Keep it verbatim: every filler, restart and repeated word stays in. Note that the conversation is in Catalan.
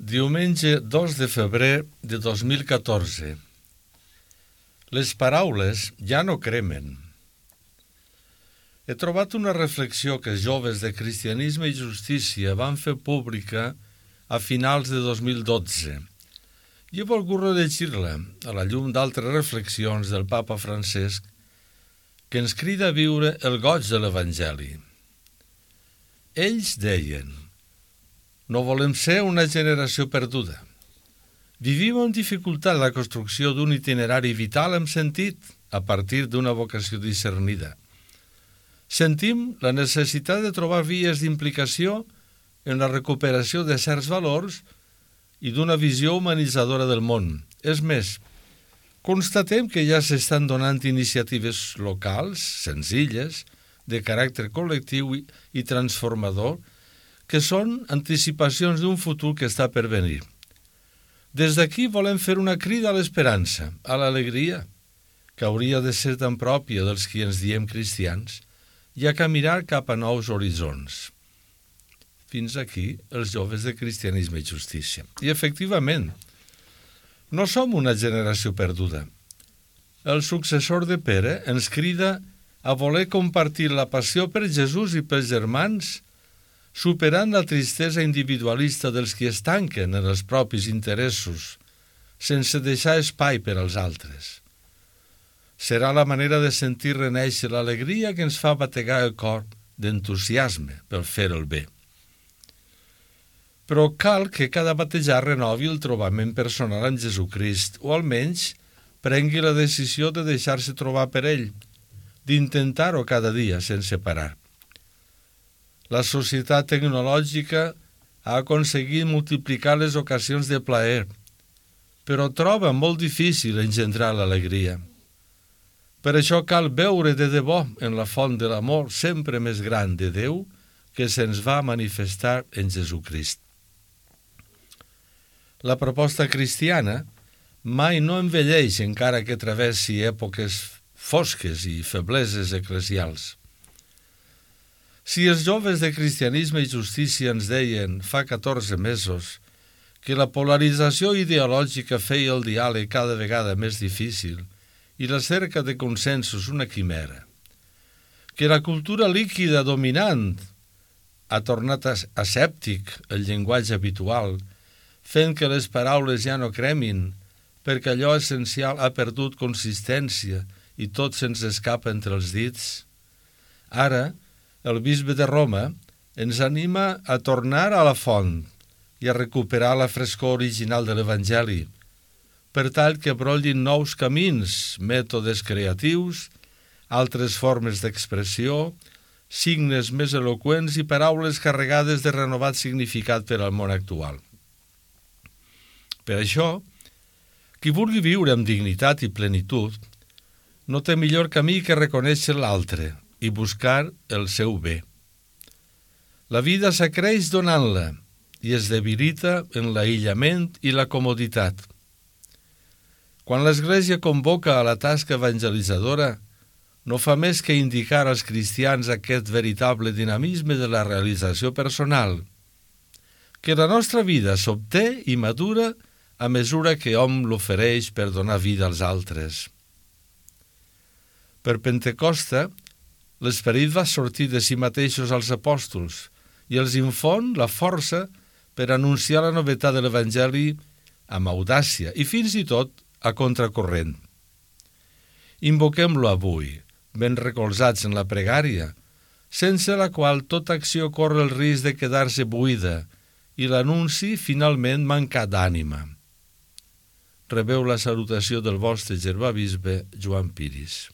Diumenge dos de febrer de dos mil catorze. Les paraules ja no cremen. He trobat una reflexió que els joves de Cristianisme i Justícia van fer pública a finals de dos mil dotze i he volgut rellegir-la a la llum d'altres reflexions del papa Francesc que ens crida a viure el goig de l'Evangeli. Ells deien: no volem ser una generació perduda. Vivim amb dificultat la construcció d'un itinerari vital amb sentit a partir d'una vocació discernida. Sentim la necessitat de trobar vies d'implicació en la recuperació de certs valors i d'una visió humanitzadora del món. És més, constatem que ja s'estan donant iniciatives locals, senzilles, de caràcter col·lectiu i, i transformador, que són anticipacions d'un futur que està per venir. Des d'aquí volem fer una crida a l'esperança, a l'alegria, que hauria de ser tan pròpia dels qui ens diem cristians, i a caminar cap a nous horitzons. Fins aquí els joves de Cristianisme i Justícia. I efectivament, no som una generació perduda. El successor de Pere ens crida a voler compartir la passió per Jesús i pels germans, superant la tristesa individualista dels qui es tanquen en els propis interessos, sense deixar espai per als altres. Serà la manera de sentir renéixer l'alegria que ens fa bategar el cor d'entusiasme per fer el bé. Però cal que cada batejar renovi el trobament personal amb Jesucrist, o almenys prengui la decisió de deixar-se trobar per ell, d'intentar-ho cada dia sense parar. La societat tecnològica ha aconseguit multiplicar les ocasions de plaer, però troba molt difícil engendrar l'alegria. Per això cal veure de debò en la font de l'amor sempre més gran de Déu que se'ns va manifestar en Jesucrist. La proposta cristiana mai no envelleix encara que travessi èpoques fosques i febleses eclesials. Si els joves de Cristianisme i Justícia ens deien fa catorze mesos que la polarització ideològica feia el diàleg cada vegada més difícil i la cerca de consensos una quimera, que la cultura líquida dominant ha tornat asèptic el llenguatge habitual, fent que les paraules ja no cremin perquè allò essencial ha perdut consistència i tot se'ns escapa entre els dits, ara el bisbe de Roma ens anima a tornar a la font i a recuperar la frescor original de l'Evangeli, per tal que brollin nous camins, mètodes creatius, altres formes d'expressió, signes més eloqüents i paraules carregades de renovat significat per al món actual. Per això, qui vulgui viure amb dignitat i plenitud no té millor camí que reconèixer l'altre i buscar el seu bé. La vida s'acreix donant-la i es debilita en l'aïllament i la comoditat. Quan l'Església convoca a la tasca evangelitzadora, no fa més que indicar als cristians aquest veritable dinamisme de la realització personal, que la nostra vida s'obté i madura a mesura que hom l'ofereix per donar vida als altres. Per Pentecosta, l'Esperit va sortir de si mateixos als apòstols i els infon la força per anunciar la novetat de l'Evangeli amb audàcia i fins i tot a contracorrent. Invoquem-lo avui, ben recolzats en la pregària, sense la qual tota acció corre el risc de quedar-se buida i l'anunci finalment mancar d'ànima. Rebeu la salutació del vostre germà bisbe Joan Piris.